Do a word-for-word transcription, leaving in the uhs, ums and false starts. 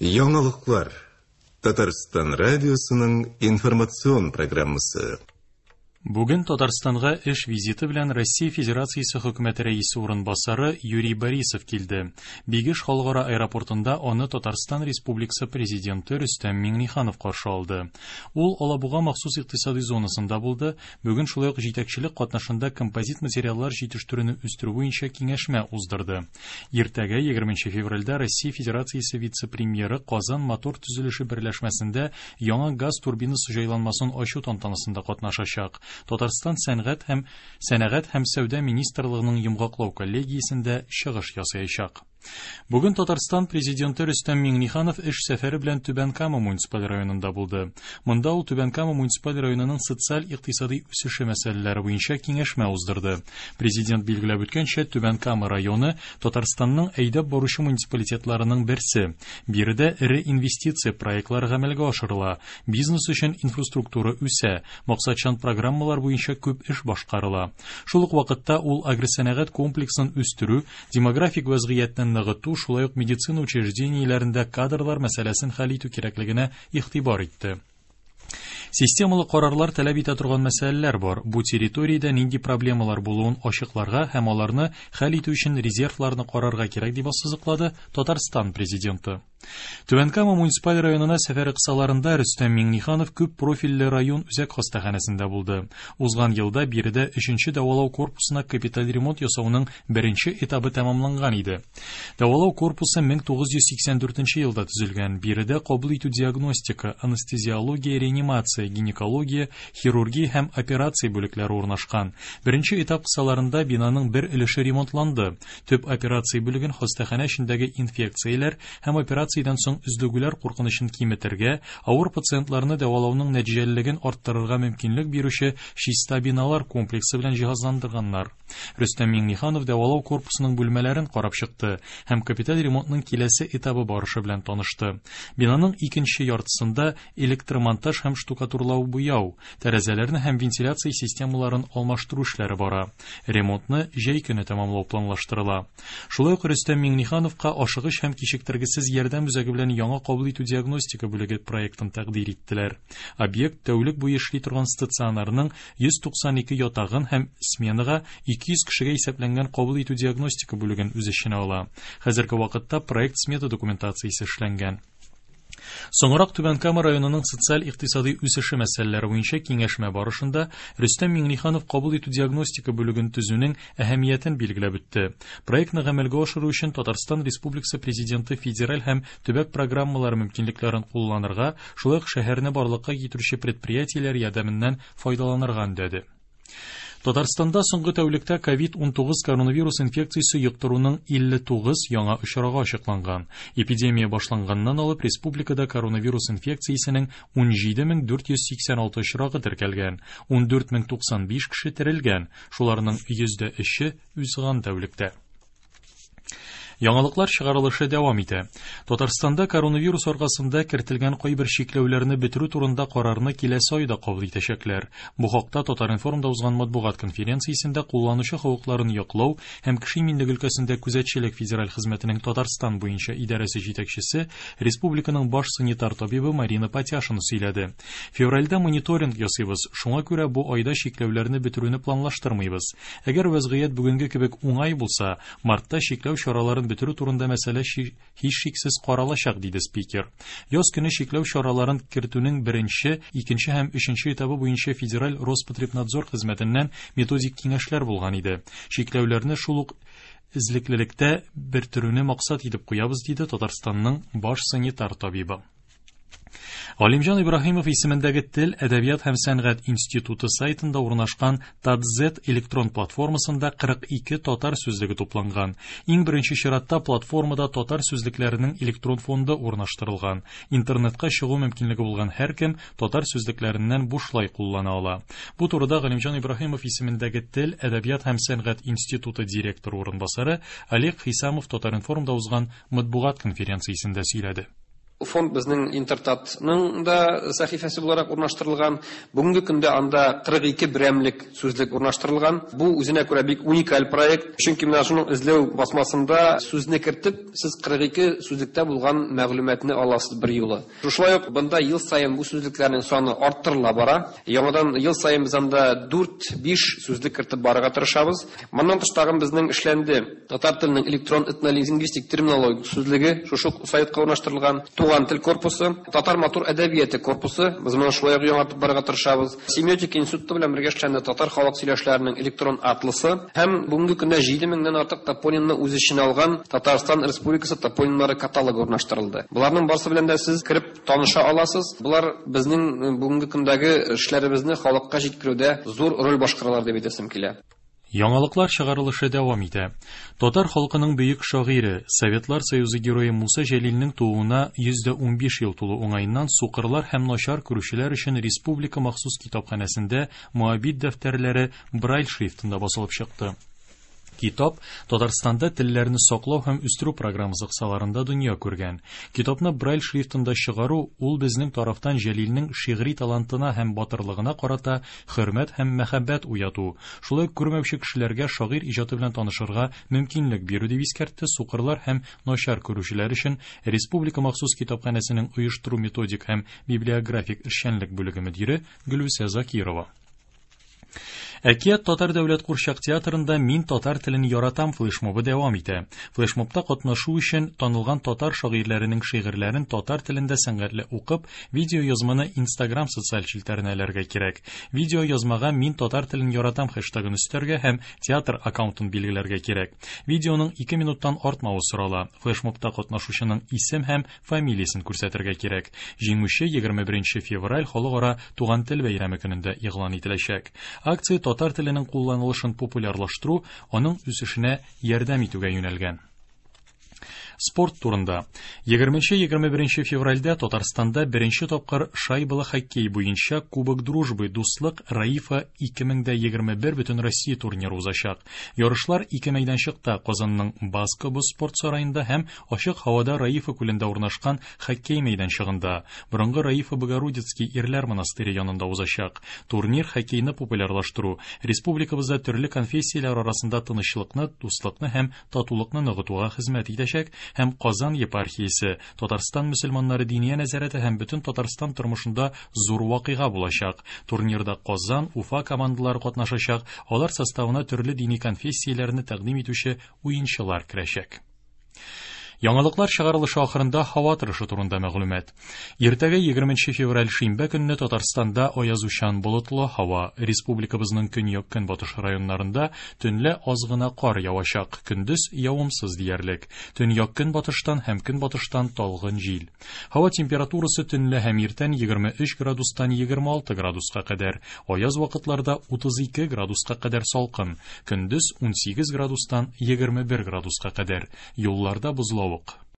Яңалыклар. Татарстан радиосының информацион программасы. Бүген Татарстанга эш визиты белән Россия Федерациясе хөкүмәте рәисе урынбасары Юрий Борисов килде. Бигеш халыкара аэропортында аны Татарстан Республикасы президенты Рөстәм Миңнеханов каршы алды. Ул Алабуга махсус икътисади зонасында булды. Бүген шулай ук җитәкчелек катнашында композит материаллар җитештерүне үстерү буенча киңәшмә уздырды. Иртәгә егерменче февральдә Россия Федерациясе вице-премьеры Казан мотор төзелеше берләшмәсендә яңа газ турбинасы җайланмасын ачу тантанасында катнашачак. Татарстан сәнгать һәм сәнәгать һәм сәүдә министрлыгының йомгаклау коллегиясендә чыгыш ясаячак. Бүген Татарстан президенты Рөстәм Миңнеханов эш сәфәре белән Түбән Кама муниципаль районында булды. Монда ул Түбән Кама муниципаль районының социаль-икътисади үсеше мәсьәләләре буенча киңәшмә уздырды. Президент билгеләп үткәнчә, Түбән Кама районы Татарстанның әйдәп баручы муниципалитетларының берсе. Биредә эре инвестиция проектлары гамәлгә ашырыла, бизнес өчен инфраструктура үсә, максатчан программалар буенча күп эш башкарыла. Шул ук вакытта ул агросәнәгать комплексын үстерү, демографик вәзгыятьне ныгыту, шулай ук медицина учреждениеләрендә кадрлар мәсьәләсен хәл итү кирәклегенә игътибар итте. Системалы карарлар таләп итә торган мәсьәләләр бар. Бу территориядә нинди проблемалар булуын ачыкларга һәм аларны хәл итү өчен резервларны карарга кирәк дип ассызыклады Татарстан президенты. Түбән Кама муниципаль районына сәфәре кысаларында Рөстәм Миңнеханов күп профильле район үзәк хастаханәсендә булды. Узган елда биредә өченче дәвалау корпусына капиталь ремонт ясауның беренче этабы тәмамланган иде. Дәвалау корпусы мең тугыз йөз сиксән дүртенче елда төзелгән. Биредә кабул итү диагностика, анестезиология, реанимация, гинекология, хирургия һәм операция бүлекләре урнашкан. Беренче этап кысаларында бинаның бер өлеше ремонтланды. Төп операция бүлеген хастаханә эчендәге инфекцияләр һәм операция соң өзлегүләр куркынычын киметергә, авыр пациентларны дәвалауның нәтиҗәлелеген арттырырга мөмкинлек бирүче чиста биналар комплексы белән җиһазландырганнар. Рөстәм Миңнеханов дәвалау корпусының бүлмәләрен карап чыкты һәм капиталь ремонтның киләсе этабы барышы белән танышты. Бинаның икенче яртысында электромонтаж һәм штукатурлау буяу, тәрәзәләрне һәм вентиляция системаларын алмаштыру эшләре бара. Ремонтны җәй көне тәмамлау планлаштырыла. Шулай ук Рөстәм Миңнехановка ашыгыч һәм кичектергесез ярдәм үзәге белән яңа кабул итү диагностика бүлеге проектын тәкъдир иттеләр. Объект тәүлек буе эшли торган стационарның йөз туксан ике ятагын һәм сменага ике йөз кешегә исәпләнгән кабул итү диагностика бүлеген үз эченә ала. Хәзерге вакытта проект смета документациясе эшләнгән. Соңрак Түбән Кама районының социаль-икътисади үсеше мәсьәләләре буенча киңәшмә барышында Рөстәм Миңнеханов кабул итү диагностика бүлеген төзүнең әһәмиятен билгеләп үтте. Проектны гамәлгә ашыру өчен Татарстан Республикасы Президенты федераль һәм төбәк программалары мөмкинлекләрен кулланырга, шулай ук шәһәрне барлыкка китерүче предприятиеләр ярдәменнән файдаланырга өндәде. Татарстанда соңгы тәүлектә ковид унтугыз коронавирус инфекциясе йоктыруның илле тугыз яңа очрагы ачыкланган. Эпидемия башланганнан алып республикада коронавирус инфекциясенең ун җиде мең дүрт йөз сиксән алты очрагы теркәлгән, ун дүрт мең туксан биш кеше терелгән, шуларның йөздә өче узган тәүлектә. Яңалыклар чыгарылышы дәвам итә. Татарстанда коронавирус аркасында кертелгән кайбер чикләүләрне бетерү турында карарны киләсе айда кабул итәчәкләр. Бу хакта Татар-информда узган матбугат конференциясендә кулланучы хокукларын яклау һәм кеше иминлеге өлкәсендә күзәтчелек федераль хезмәтенең Татарстан буенча идарәсе җитәкчесе, республиканың баш санитар табибы Марина Патяшина сөйләде. Февральдә мониторинг ясыйбыз, шуңа күрә бу айда чикләүләрне бетерүне планлаштырмыйбыз. Әгәр вәзгыять бүгенге кебек уңай булса, мартта чикләү чараларын бетерү турында мәсьәлә һичшиксез каралачак, диде спикер. Яз көне чикләү чараларын кертүнең беренче, икенче һәм өченче этабы буенча федераль Роспотребнадзор хезмәтеннән методик киңәшләр булган иде. Чикләүләрне шул ук эзлеклелектә бетерүне максат итеп куябыз, диде Татарстанның баш санитар табибы. Галимҗан Ибраһимов исемендәге Тел, Әдәбият һәм Сәнгать институты сайтында урнашкан Татзет электрон платформасында кырык ике татар сүзлеге тупланган. Иң беренче чиратта платформада татар сүзлекләренең электрон фонды урнаштырылган. Интернетка чыгу мөмкинлеге булган һәркем татар сүзлекләреннән бушлай куллана ала. Бу турыда Галимҗан Ибраһимов исемендәге Тел, Әдәбият һәм Сәнгать институты директоры урынбасары Олег Хисамов Татар-информда узган матбугат конференциясендә сөйләде. Фонд безнең Интертатның да сәхифәсе буларак урнаштырылган. Бүгенге көндә анда кырык ике берәмлек сүзлек урнаштырылган. Бу үзенә күрә бик уникаль проект. Чөнки менә шуның эзләү басмасында сүзне кертеп, сез кырык ике сүзлектә булган мәгълүматны аласыз бер юлы. Шулай ук бында ел саен бу сүзлекләрнең саны арттырыла бара. Яңадан ел саен без анда дүрт-биш сүзлек кертеп барырга тырышабыз. Моннан тыш тагын безнең эшләнде татар теленең электрон этнолингвистик терминологик сүзлеге шушы сайтка урнаштырылган. Туган тел корпусы, татар матур әдәбияты корпусы, без моны шулай ук яңартып барырга тырышабыз. Семиотик институты белән бергә эшләнде татар халык сөйләшләренең электрон атласы һәм бүгенге көндә җиде меңнән артык топонимны үз эченә алган Татарстан Республикасы топонимнары каталогы урнаштырылды. Буларның барысы белән дә сез кереп таныша аласыз. Булар безнең бүгенге көндәге эшләребезне халыкка җиткерүдә зур роль башкаралар дип әйтәсем килә. Яңалыклар чыгарылышы дәвам итә. Татар халкының бөек шагыйре, Советлар Союзы герое Муса Җәлилнең тууына йөз дә унбиш ел тулу уңаеннан сукырлар һәм начар күрүчеләр өчен Республика махсус китапханәсендә Моабит дәфтәрләре Брайль шрифтында басылып чыкты. Китап Татарстанда телләрне саклау һәм үстерү программасы кысаларында дөнья күргән. Китапны Брайль шрифтында чыгару ул безнең тарафтан Җәлилнең шигъри талантына һәм батырлыгына карата хөрмәт һәм мәхәббәт уяту, шулай ук күрмәүче кешеләргә шагыйрь иҗаты белән танышырга мөмкинлек бирү дип искәртте сукырлар һәм начар күрүчеләр өчен Республика махсус китапханәсенең оештыру методик һәм библиографик эшчәнлек бүлеге мөдире Гөлүсә Закирова. Әкият Татар дәүләт курчак театрында Мин татар телен яратам флешмобы дәвам итә. Флешмобта катнашу өчен танылган татар шагыйрьләренең шигырьләрен татар телендә сәнгатьле укып, видео язманы Instagram социаль челтәренә эләргә кирәк. Видео язмага Мин татар телен яратам хэштегын өстәргә һәм театр аккаунтын билгеләргә кирәк. Видеоның ике минуттан артмавы сорала. Флешмобта катнашучының исем һәм фамилиясен күрсәтергә кирәк. Җиңүче егерме беренче февраль халыкара туган тел бәйрәме көнендә игълан ителәчәк. Акция татар теленең кулланылышын популярлаштыру, аның үсешенә ярдәм итүгә юнәлгән. Спорт турында. егерменче-егерме беренче февральдә Татарстанда беренче тапкыр шайбалы хоккей буенча Кубок Дружбы Дуслык Раифа ике мең дә егерме бер бөтен Россия турниры узачак. Ярышлар ике мәйданчыкта Казанның Баскобо спорт сараенда һәм ачык һавада Раифа күлендә урнашкан хоккей мәйданчыгында, борынгы Раифа Богородицкий ирләр монастыре янында узачак. Турнир хоккейны популярлаштыру, республикабызда төрле конфессияләр арасында тынычлыкны, дуслыкны һәм татулыкны ныгытуга хезмәт итәчәк һәм Казан епархиясе, Татарстан мөселманнары диния нәзарәте һәм бөтен Татарстан тормышында зур вакыйга булачак. Турнирда Казан, Уфа командалары катнашачак, алар составына төрле дини конфессияләрне тәкъдим итүче уенчылар керәчәк. Яңалыклар чыгарылышы ахырында һава торышы турында мәгълүмат. Иртәгә егерменче февраль шимбә көнне Татарстанда аязучан болытлы һава. Республикабызның көньяк-көнбатыш районнарында төнлә аз гына кар явачак, көндез явымсыз диярлек. Төньяк-көнбатыштан һәм көнбатыштан талгын җил. Һава температурасы төнлә һәм иртән егерме өч градустан егерме алты градуска кадәр, аяз вакытларда утыз ике градуска кадәр салкын, көндез унсигез градустан егерме бер градуска кадәр. Юлларда бозлавык.